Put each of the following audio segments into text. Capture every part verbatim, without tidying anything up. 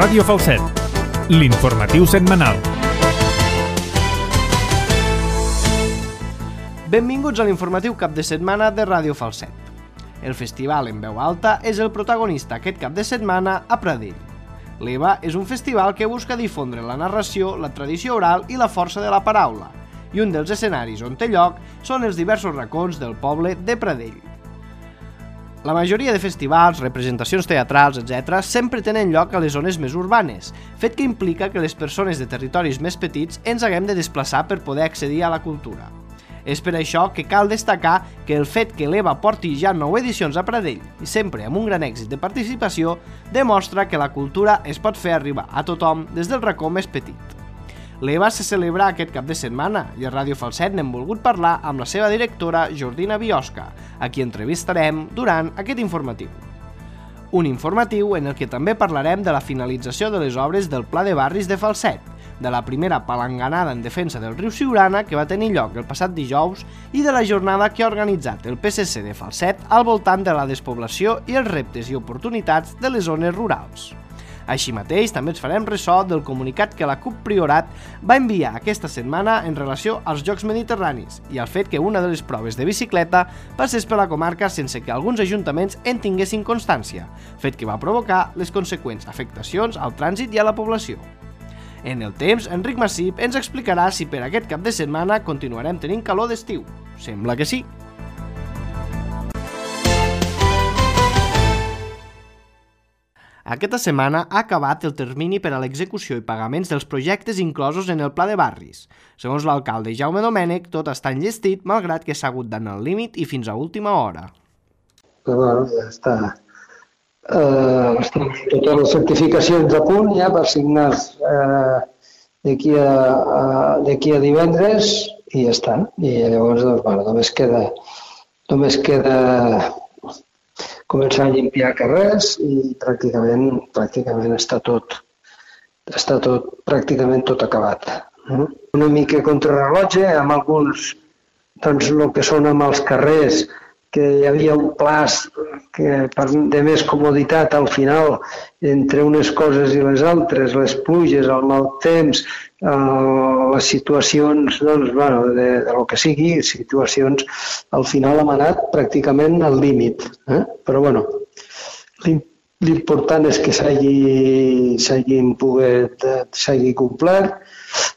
Ràdio Falset, l'informatiu setmanal. Benvinguts a l'informatiu cap de setmana de Ràdio Falset. El festival en veu alta és el protagonista aquest cap de setmana a Pradell. L'EVA és un festival que busca difondre la narració, la tradició oral i la força de la paraula, i un dels escenaris on té lloc són els diversos racons del poble de Pradell. La majoria de festivals, representacions teatrals, etcètera, sempre tenen lloc a les zones més urbanes, fet que implica que les persones de territoris més petits ens haguem de desplaçar per poder accedir a la cultura. És per això que cal destacar que el fet que l'EVA porti ja nou edicions a Pradell, i sempre amb un gran èxit de participació, demostra que la cultura es pot fer arribar a tothom des del racó més petit. L'EVA se celebra aquest cap de setmana i a Ràdio Falset n'hem volgut parlar amb la seva directora, Jordina Biosca, a qui entrevistarem durant aquest informatiu. Un informatiu en el que també parlarem de la finalització de les obres del Pla de Barris de Falset, de la primera palanganada en defensa del riu Siurana que va tenir lloc el passat dijous i de la jornada que ha organitzat el P S C de Falset al voltant de la despoblació i els reptes i oportunitats de les zones rurals. Així mateix, també ens farem ressò del comunicat que la CUP Priorat va enviar aquesta setmana en relació als Jocs Mediterranis i al fet que una de les proves de bicicleta passés per la comarca sense que alguns ajuntaments en tinguessin constància, fet que va provocar les conseqüents afectacions al trànsit i a la població. En el temps, Enric Massip ens explicarà si per aquest cap de setmana continuarem tenint calor d'estiu. Sembla que sí. Aquesta setmana ha acabat el termini per a l'execució i pagaments dels projectes inclosos en el Pla de Barris. Segons l'alcalde Jaume Domènech, tot està enllestit, malgrat que s'ha hagut d'anar al límit i fins a última hora. Però bueno, ja està. Uh, estan totes les certificacions a punt ja per signar uh, d'aquí a, a, d'aquí a divendres i ja està. I llavors doncs, bueno, només queda només queda començar a limpiar carrers i pràcticament, pràcticament està tot està tot, pràcticament tot acabat. Una mica contrarrellotge amb alguns, doncs el que són amb els carrers, que hi havia un plaç que per de més comoditat al final entre unes coses i les altres, les pluges, el mal temps, eh, les situacions, doncs, bueno, de, de lo que sigui, situacions, al final hem anat pràcticament al límit. Eh? Però bueno, l'important és que s'hagi s'hagin pogut, s'hagi complert.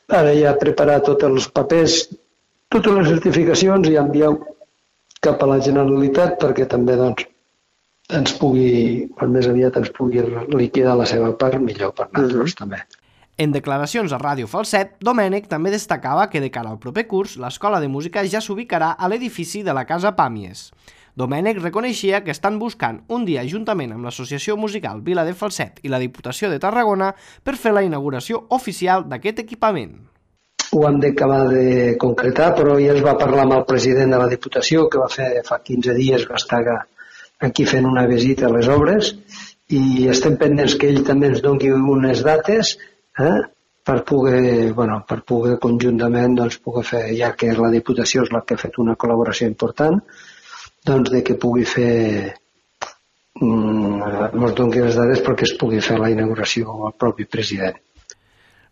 Ara ja preparar tots els papers, totes les certificacions i enviar cap a la Generalitat perquè també doncs, ens pugui, per més aviat ens pugui liquidar la seva part, millor per nosaltres també. En declaracions a Ràdio Falset, Domènech també destacava que de cara al proper curs l'escola de música ja s'ubicarà a l'edifici de la Casa Pàmies. Domènech reconeixia que estan buscant un dia juntament amb l'Associació Musical Vila de Falset i la Diputació de Tarragona per fer la inauguració oficial d'aquest equipament. Ho hem d'acabar de concretar, però ja es va parlar amb el president de la Diputació, que va fer fa quinze dies, va estar aquí fent una visita a les obres, i estem pendents que ell també ens doni unes dates eh, per poder, bueno, per poder conjuntament doncs, poder fer, ja que la Diputació és la que ha fet una col·laboració important, doncs de que pugui fer, mm, ens doni les dades perquè es pugui fer la inauguració al propi president.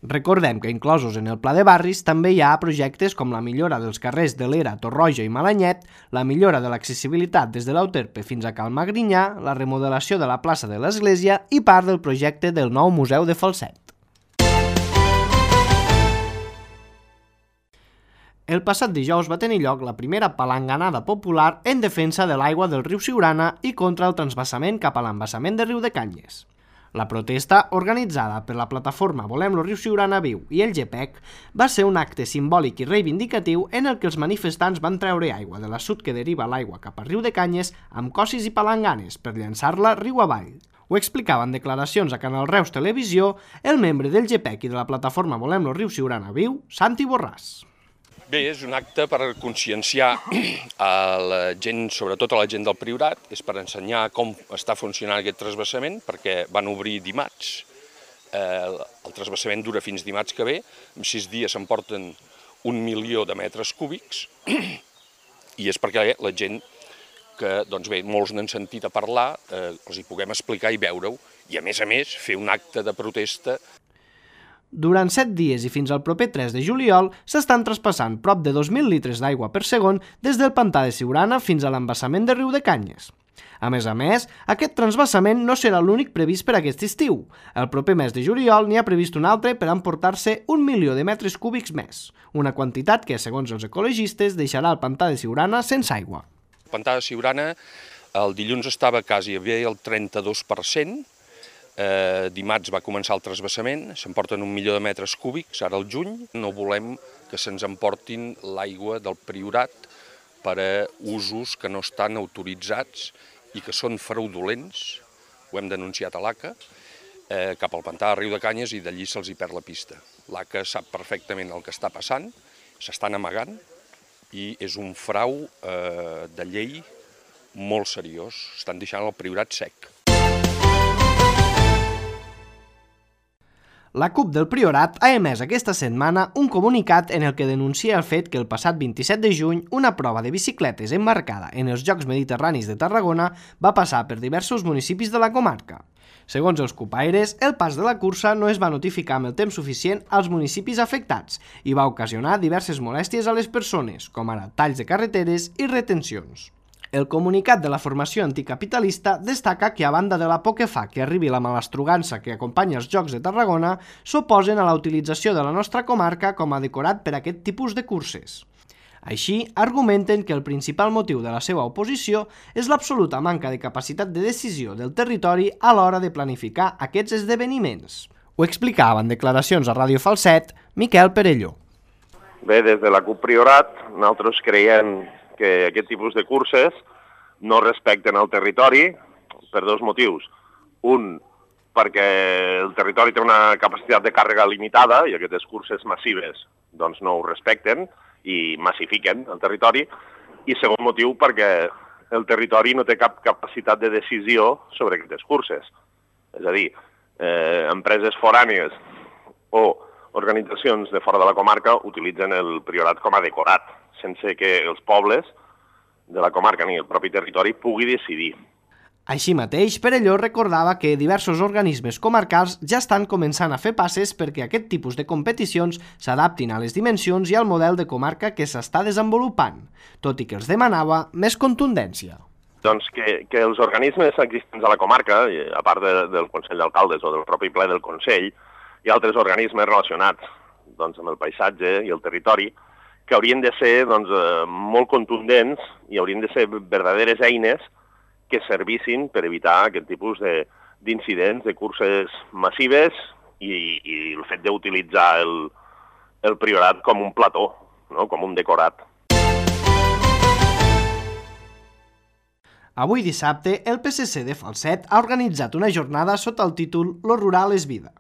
Recordem que inclosos en el Pla de Barris també hi ha projectes com la millora dels carrers de l'Era, Torroja i Malanyet, la millora de l'accessibilitat des de l'Euterpe fins a Cal Magrinyà, la remodelació de la plaça de l'Església i part del projecte del nou Museu de Falset. El passat dijous va tenir lloc la primera palanganada popular en defensa de l'aigua del riu Siurana i contra el transvasament cap a l'embassament de Riu de Canyes. La protesta, organitzada per la plataforma Volem lo Riu Siurana Viu i el G P E C, va ser un acte simbòlic i reivindicatiu en el que els manifestants van treure aigua de l'assut que deriva l'aigua cap a Riu de Canyes amb cossis i palanganes per llançar-la riu avall. Ho explicava en declaracions a Canal Reus Televisió el membre del G P E C i de la plataforma Volem lo Riu Siurana Viu, Santi Borràs. Bé, és un acte per conscienciar a la gent, sobretot a la gent del Priorat, és per ensenyar com està funcionant aquest transvasament, perquè van obrir dimarts. El transvasament dura fins dimarts que ve, en sis dies s'emporten un milió de metres cúbics, i és perquè la gent que, doncs bé, molts n'han sentit a parlar, eh, els hi puguem explicar i veure-ho, i a més a més fer un acte de protesta. Durant set dies i fins al proper tres de juliol s'estan traspassant prop de dos mil litres d'aigua per segon des del pantà de Siurana fins a l'embassament de Riu de Canyes. A més a més, aquest transvassament no serà l'únic previst per aquest estiu. El proper mes de juliol n'hi ha previst un altre per emportar-se un milió de metres cúbics més, una quantitat que, segons els ecologistes, deixarà el pantà de Siurana sense aigua. El pantà de Siurana el dilluns estava quasi bé el trenta-dos per cent, eh, dimarts va començar el transvassament, s'emporten un milió de metres cúbics, ara al juny. No volem que se'ns emportin l'aigua del Priorat per a usos que no estan autoritzats i que són fraudulents, ho hem denunciat a l'A C A, eh, cap al pantà de Riu de Canyes, i d'allí se'ls hi perd la pista. L'A C A sap perfectament el que està passant, s'estan amagant i és un frau eh, de llei molt seriós, estan deixant el Priorat sec. La CUP del Priorat ha emès aquesta setmana un comunicat en el que denuncia el fet que el passat vint-i-set de juny una prova de bicicletes emmarcada en els Jocs Mediterranis de Tarragona va passar per diversos municipis de la comarca. Segons els cupaires, el pas de la cursa no es va notificar amb el temps suficient als municipis afectats i va ocasionar diverses molèsties a les persones, com ara talls de carreteres i retencions. El comunicat de la formació anticapitalista destaca que, a banda de la por que fa que arribi la malastrugança que acompanya els Jocs de Tarragona, s'oposen a la utilització de la nostra comarca com a decorat per a aquest tipus de curses. Així, argumenten que el principal motiu de la seva oposició és l'absoluta manca de capacitat de decisió del territori a l'hora de planificar aquests esdeveniments. Ho explicava en declaracions a Ràdio Falset Miquel Perelló. Bé, des de la CUP Priorat, nosaltres creiem que aquest tipus de curses no respecten el territori per dos motius. Un, perquè el territori té una capacitat de càrrega limitada i aquestes curses massives doncs no ho respecten i massifiquen el territori. I segon motiu, perquè el territori no té cap capacitat de decisió sobre aquestes curses. És a dir, eh, empreses forànies o organitzacions de fora de la comarca utilitzen el Priorat com a decorat, sense que els pobles de la comarca ni el propi territori pugui decidir. Així mateix, Perelló recordava que diversos organismes comarcals ja estan començant a fer passes perquè aquest tipus de competicions s'adaptin a les dimensions i al model de comarca que s'està desenvolupant, tot i que els demanava més contundència. Doncs que, que els organismes existents a la comarca, a part de, del Consell d'Alcaldes o del propi ple del Consell, hi ha altres organismes relacionats doncs, amb el paisatge i el territori, que haurien de ser doncs, molt contundents i haurien de ser verdaderes eines que servissin per evitar aquest tipus d'incidents, de, de curses massives i, i el fet d'utilitzar el, el Priorat com un plató, no? Com un decorat. Avui dissabte, el P S C de Falset ha organitzat una jornada sota el títol Lo rural és vida.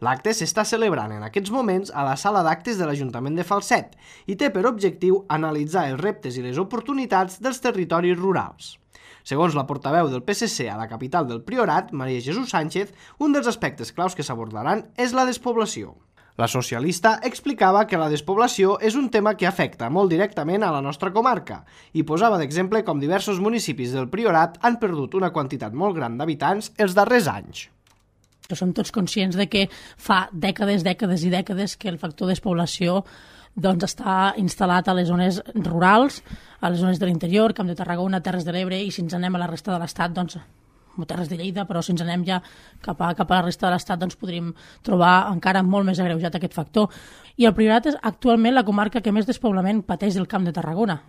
L'acte s'està celebrant en aquests moments a la sala d'actes de l'Ajuntament de Falset i té per objectiu analitzar els reptes i les oportunitats dels territoris rurals. Segons la portaveu del P S C a la capital del Priorat, Maria Jesús Sánchez, un dels aspectes claus que s'abordaran és la despoblació. La socialista explicava que la despoblació és un tema que afecta molt directament a la nostra comarca i posava d'exemple com diversos municipis del Priorat han perdut una quantitat molt gran d'habitants els darrers anys. Som tots conscients de que fa dècades, dècades i dècades que el factor despoblació doncs, està instal·lat a les zones rurals, a les zones de l'interior, Camp de Tarragona, Terres de l'Ebre, i si ens anem a la resta de l'Estat, doncs, Terres de Lleida, però si ens anem ja cap a, cap a la resta de l'Estat, doncs podríem trobar encara molt més agreujat aquest factor. I el Priorat és actualment la comarca que més despoblament pateix del Camp de Tarragona.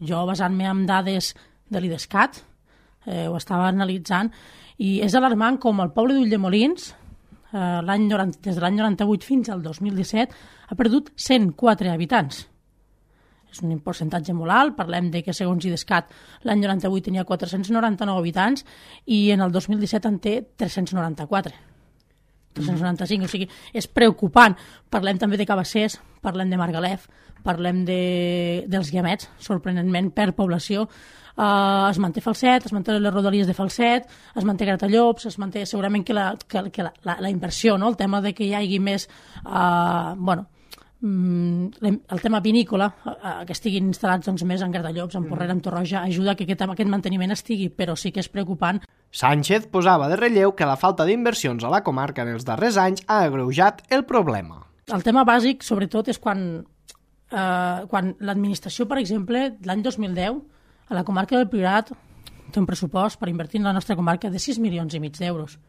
Jo, basant-me en dades de l'IDESCAT, eh, ho estava analitzant, i és alarmant com el poble d'Ulldemolins, eh, l'any noranta, des de l'any noranta-vuit fins al dos mil disset, ha perdut cent quatre habitants. És un percentatge molt alt, parlem de que segons IDESCAT l'any noranta-vuit tenia quatre-cents noranta-nou habitants i en el dos mil disset en té tres-cents noranta-quatre. tres-cents noranta-cinc, o sigui, és preocupant. Parlem també de Cabassers, parlem de Margalef, parlem de, dels Guiamets, sorprenentment per població. Uh, es manté Falset, es manté les rodalies de Falset, es manté Gratallops, es manté segurament que la, que, que la, la, la inversió, no? El tema de que hi hagi més uh, bueno, el tema vinícola, que estiguin instal·lats doncs, més en Gratallops, en Porrera, en Torroja, ajuda que aquest, aquest manteniment estigui, però sí que és preocupant. Sánchez posava de relleu que la falta d'inversions a la comarca en els darrers anys ha agreujat el problema. El tema bàsic, sobretot, és quan, eh, quan l'administració, per exemple, l'any dos mil deu, a la comarca del Priorat té un pressupost per invertir en la nostra comarca de sis milions i mig d'euros.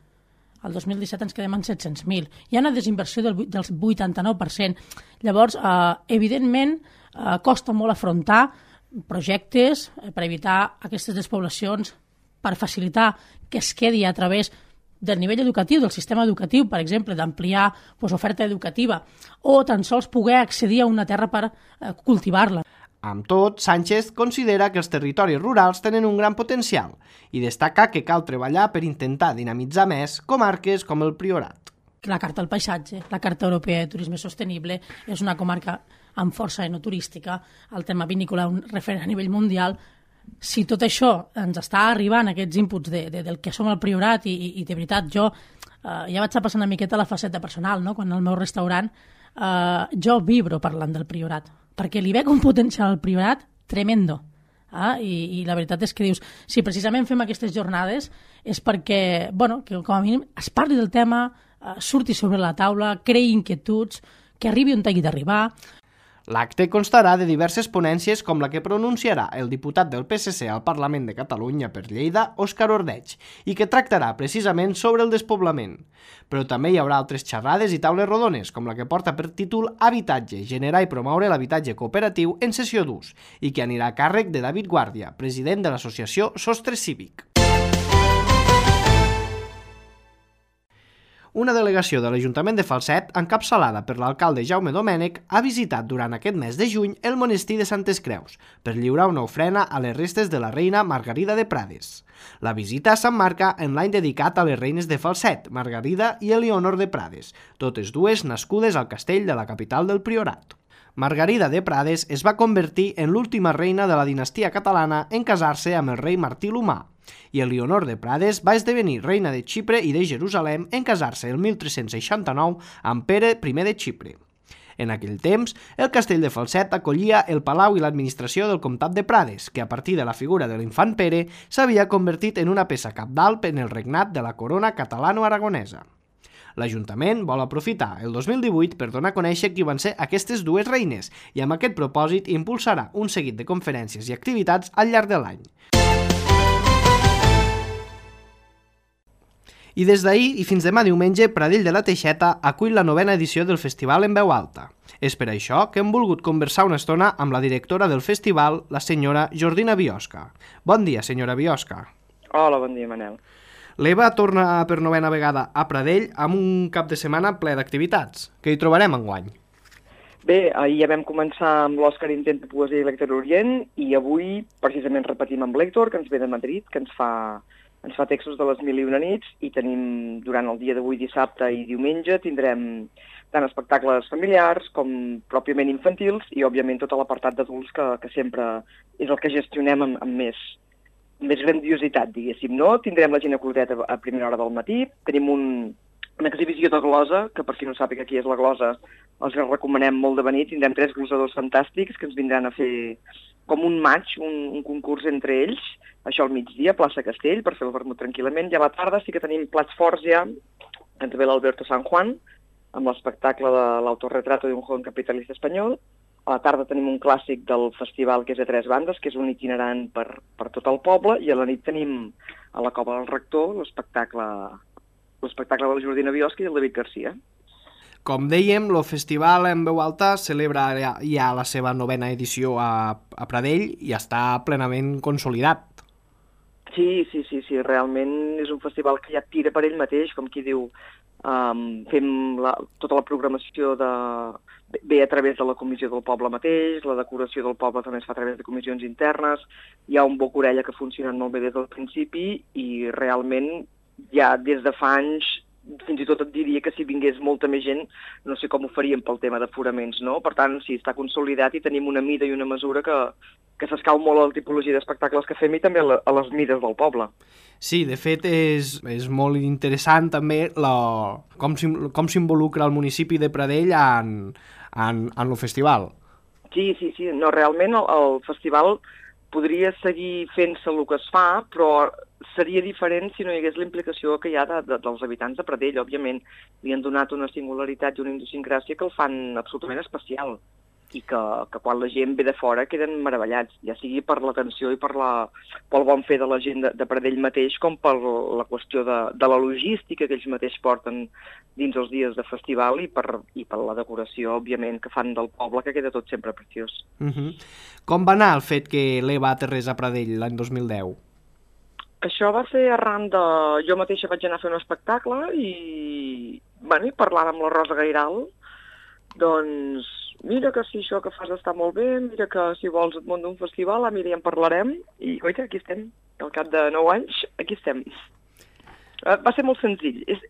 El dos mil disset ens quedem en set-cents mil. Hi ha una desinversió del, del vuitanta-nou per cent. Llavors, eh, evidentment, eh, costa molt afrontar projectes eh, per evitar aquestes despoblacions, per facilitar que es quedi a través del nivell educatiu, del sistema educatiu, per exemple, d'ampliar pues, oferta educativa, o tan sols poder accedir a una terra per eh, cultivar-la. Amb tot, Sánchez considera que els territoris rurals tenen un gran potencial i destaca que cal treballar per intentar dinamitzar més comarques com el Priorat. La Carta del Paisatge, la Carta Europea de Turisme Sostenible, és una comarca amb força enoturística, el tema vinícola un referent a nivell mundial. Si tot això ens està arribant, aquests inputs de, de, del que som el Priorat, i, i, i de veritat jo eh, ja vaig a passar una miqueta la faceta personal, no? Quan al meu restaurant eh, jo vibro parlant del Priorat, perquè li veig un potencial al Priorat tremendo. Ah, i, I la veritat és que dius, si precisament fem aquestes jornades és perquè, bueno, que com a mínim es parli del tema, eh, surti sobre la taula, creï inquietuds, que arribi on hagi d'arribar. L'acte constarà de diverses ponències com la que pronunciarà el diputat del P S C al Parlament de Catalunya per Lleida, Òscar Ordeig, i que tractarà precisament sobre el despoblament. Però també hi haurà altres xerrades i taules rodones, com la que porta per títol Habitatge, generar i promoure l'habitatge cooperatiu en cessió d'ús, i que anirà a càrrec de David Guàrdia, president de l'associació Sostre Cívic. Una delegació de l'Ajuntament de Falset, encapçalada per l'alcalde Jaume Domènech, ha visitat durant aquest mes de juny el monestir de Santes Creus per lliurar una ofrena a les restes de la reina Margarida de Prades. La visita s'emmarca en l'any dedicat a les reines de Falset, Margarida i Elionor de Prades, totes dues nascudes al castell de la capital del Priorat. Margarida de Prades es va convertir en l'última reina de la dinastia catalana en casar-se amb el rei Martí l'Humà, i Elionor de Prades va esdevenir reina de Xipre i de Jerusalem en casar-se el mil tres-cents seixanta-nou amb Pere primer de Xipre. En aquell temps, el castell de Falset acollia el palau i l'administració del comtat de Prades, que a partir de la figura de l'infant Pere s'havia convertit en una peça cabdal en el regnat de la corona catalano-aragonesa. L'Ajuntament vol aprofitar el dos mil divuit per donar a conèixer qui van ser aquestes dues reines i amb aquest propòsit impulsarà un seguit de conferències i activitats al llarg de l'any. I des d'ahir i fins demà diumenge, Pradell de la Teixeta acull la novena edició del festival en veu alta. És per això que hem volgut conversar una estona amb la directora del festival, la senyora Jordina Biosca. Bon dia, senyora Biosca. Hola, bon dia, Manel. L'Eva torna per novena vegada a Pradell amb un cap de setmana ple d'activitats. Què hi trobarem enguany? Bé, ahir ja vam començar amb l'Òscar Intenta Poesia i Lector Orient i avui precisament repetim amb l'Héctor, que ens ve de Madrid, que ens fa... ens fa textos de les mil i una nits i tenim, durant el dia d'avui, dissabte i diumenge, tindrem tant espectacles familiars com pròpiament infantils i, òbviament, tot l'apartat d'adults que, que sempre és el que gestionem amb, amb més, més grandiositat, diguéssim, no? Tindrem la ginecolotet a, a primera hora del matí, tenim un, una exhibició de glosa, que per qui no sàpiga qui és la glosa, els recomanem molt de venir, tindrem tres glosadors fantàstics que ens vindran a fer com un match, un, un concurs entre ells, això al migdia, plaça Castell, per fer el vermut tranquil·lament, i a la tarda sí que tenim plats forts ja, ens ve l'Alberto San Juan, amb l'espectacle de l'autorretrato d'un joven capitalista espanyol. A la tarda tenim un clàssic del festival que és a tres bandes, que és un itinerant per, per tot el poble, i a la nit tenim a la Cova del Rector l'espectacle l'espectacle de la Jordina Biosca i el David Garcia. Com dèiem, el festival en veu alta celebra ja la seva novena edició a, a Pradell i està plenament consolidat. Sí, sí, sí, sí, realment és un festival que ja tira per ell mateix, com qui diu, um, fem la, tota la programació de, ve a través de la comissió del poble mateix, la decoració del poble també es fa a través de comissions internes, hi ha un boc-orella que funciona molt bé des del principi i realment ja des de fa anys fins i tot et diria que si vingués molta més gent, no sé com ho faríem pel tema d'aforaments, no? Per tant, sí, està consolidat i tenim una mida i una mesura que, que s'escau molt a la tipologia d'espectacles que fem i també a, la, a les mides del poble. Sí, de fet és, és molt interessant també la, com, com s'involucra el municipi de Pradell en, en, en el festival. Sí, sí, sí. No, realment el, el festival podria seguir fent-se el que es fa, però seria diferent si no hi hagués la implicació que hi ha de, de, dels habitants de Pradell. Òbviament, li han donat una singularitat i una idiosincràsia que el fan absolutament especial i que, que quan la gent ve de fora queden meravellats, ja sigui per l'atenció i per la, pel bon fer de la gent de, de Pradell mateix, com per la qüestió de, de la logística que ells mateix porten dins els dies de festival i per, i per la decoració, òbviament, que fan del poble, que queda tot sempre preciós. Uh-huh. Com va anar el fet que l'Eva aterrés a Pradell l'any dos mil deu? Això va ser arran de... Jo mateixa vaig anar a fer un espectacle i, bueno, i parlant amb la Rosa Gairal, doncs, mira que si això que fas està molt bé, mira que si vols et munto un festival, ah, mira, ja en parlarem, i, oita, aquí estem. Al cap de nou anys, aquí estem. Va ser molt senzill. És,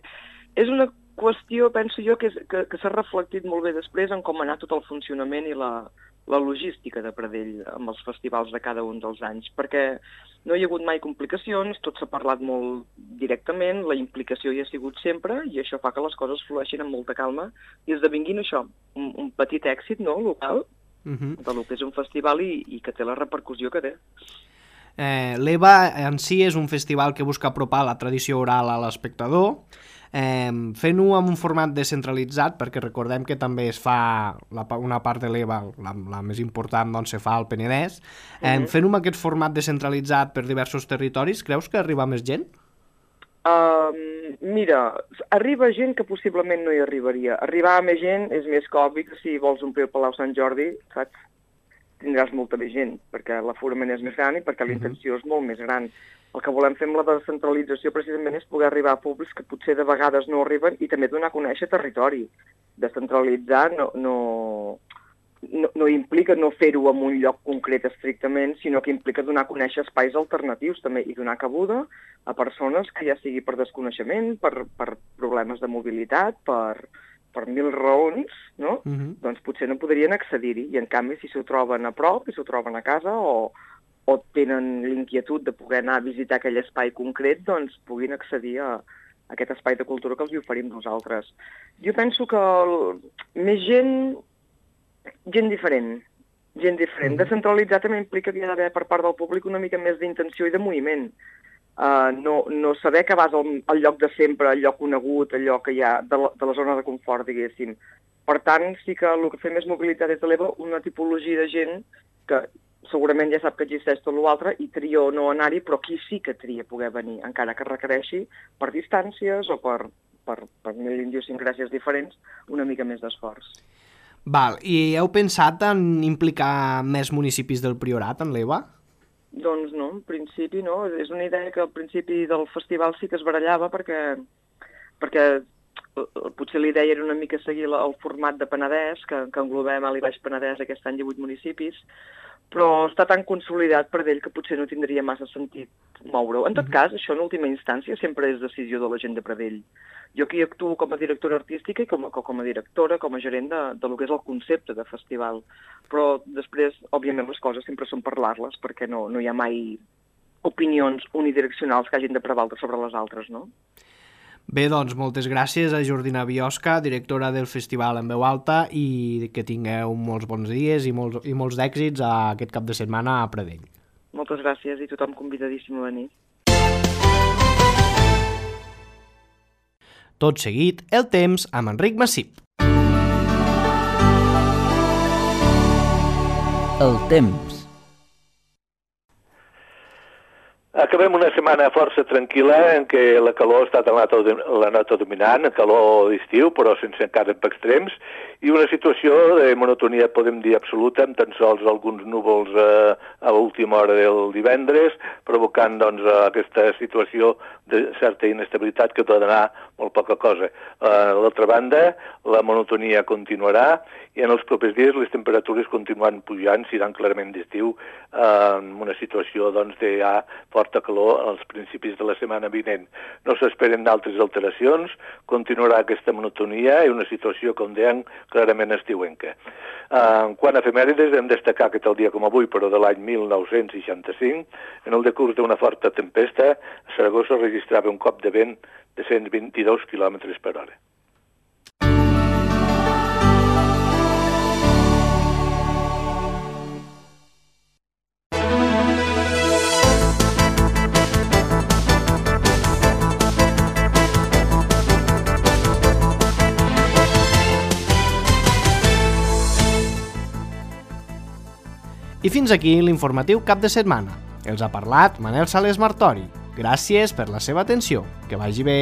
és una qüestió, penso jo, que, és, que, que s'ha reflectit molt bé després en com ha anat tot el funcionament i la, la logística de Pradell amb els festivals de cada un dels anys, perquè no hi ha hagut mai complicacions, tot s'ha parlat molt directament, la implicació hi ha sigut sempre i això fa que les coses flueixin amb molta calma i esdevinguin això, un, un petit èxit, no?, local, uh-huh. de lo que és un festival i, i que té la repercussió que té. Eh, L'Eva en si és un festival que busca apropar la tradició oral a l'espectador, eh, fent-ho amb un format descentralitzat, perquè recordem que també es fa la, una part de l'Eva, la, la més important, doncs se fa al Penedès. Eh, uh-huh. Fent-ho amb aquest format descentralitzat per diversos territoris, creus que arriba més gent? Uh, mira, arriba gent que possiblement no hi arribaria. Arribar a més gent és més que obvi que si vols omplir el Palau Sant Jordi, saps? Tindràs molta més gent, perquè l'aforament és més gran i perquè la intenció és molt més gran. El que volem fer amb la descentralització precisament és poder arribar a públics que potser de vegades no arriben i també donar a conèixer territori. Descentralitzar no, no, no, no implica no fer-ho en un lloc concret estrictament, sinó que implica donar a conèixer espais alternatius també i donar cabuda a persones que ja sigui per desconeixement, per, per problemes de mobilitat, per... per mil raons, no? Uh-huh. Doncs potser no podrien accedir-hi, i en canvi si s'ho troben a prop, si s'ho troben a casa, o, o tenen l'inquietud de poder anar a visitar aquell espai concret, doncs puguin accedir a, a aquest espai de cultura que els hi oferim nosaltres. Jo penso que el, més gent, gent diferent, gent diferent. Uh-huh. Descentralitzar també implica que hi ha d'haver per part del públic una mica més d'intenció i de moviment. Uh, no, no saber que vas al, al lloc de sempre, al lloc conegut, allò que hi ha de la, de la zona de confort, diguéssim. Per tant, sí que el que fem és mobilitat des de l'Eva una tipologia de gent que segurament ja sap que existeix tot l'altre i tria o no anar-hi, però qui sí que tria poder venir, encara que requereixi per distàncies o per, per, per mil idiosincràsies diferents, una mica més d'esforç. Val, i heu pensat en implicar més municipis del Priorat en l'Eva? Doncs no, en principi no. És una idea que al principi del festival sí que es barallava perquè, perquè potser la idea era una mica seguir el format de Penedès, que, que englobem a l'I Baix Penedès aquest any divuit municipis, però està tan consolidat per ell que potser no tindria massa sentit moure-ho. En tot cas, això en última instància sempre és decisió de la gent de Pradell. Jo aquí actuo com a directora artística i com a, com a directora, com a gerent de, de lo que és el concepte de festival. Però després, òbviament, les coses sempre són parlar-les, perquè no, no hi ha mai opinions unidireccionals que hagin de prevaldre sobre les altres, no? Bé, doncs, moltes gràcies a Jordina Biosca, directora del Festival en Veu Alta, i que tingueu molts bons dies i molts, i molts d'èxits a aquest cap de setmana a Pradell. Moltes gràcies i tothom convidadíssim a venir. Tot seguit, el temps amb Enric Massip. El temps. Acabem una setmana força tranquil·la en què la calor ha estat la nota dominant, calor d'estiu, però sense encara extrems, i una situació de monotonia, podem dir, absoluta, amb tan sols alguns núvols eh, a l'última hora del divendres, provocant doncs, aquesta situació de certa inestabilitat que pot anar molt poca cosa. A l'altra banda, la monotonia continuarà i en els propers dies les temperatures continuaran pujant, seran clarament d'estiu, eh, en una situació doncs, de ja força forta calor als principis de la setmana vinent. No s'esperen altres alteracions, continuarà aquesta monotonia i una situació, com deien, clarament estiuenca. En quant a efemèrides, hem destacar que tal dia com avui, però de l'any mil nou-cents seixanta-cinc, en el decurs d'una forta tempesta, a Saragossa registrava un cop de vent de cent vint-i-dos quilòmetres per hora. I fins aquí l'informatiu cap de setmana. Els ha parlat Manel Sales Martori. Gràcies per la seva atenció. Que vagi bé.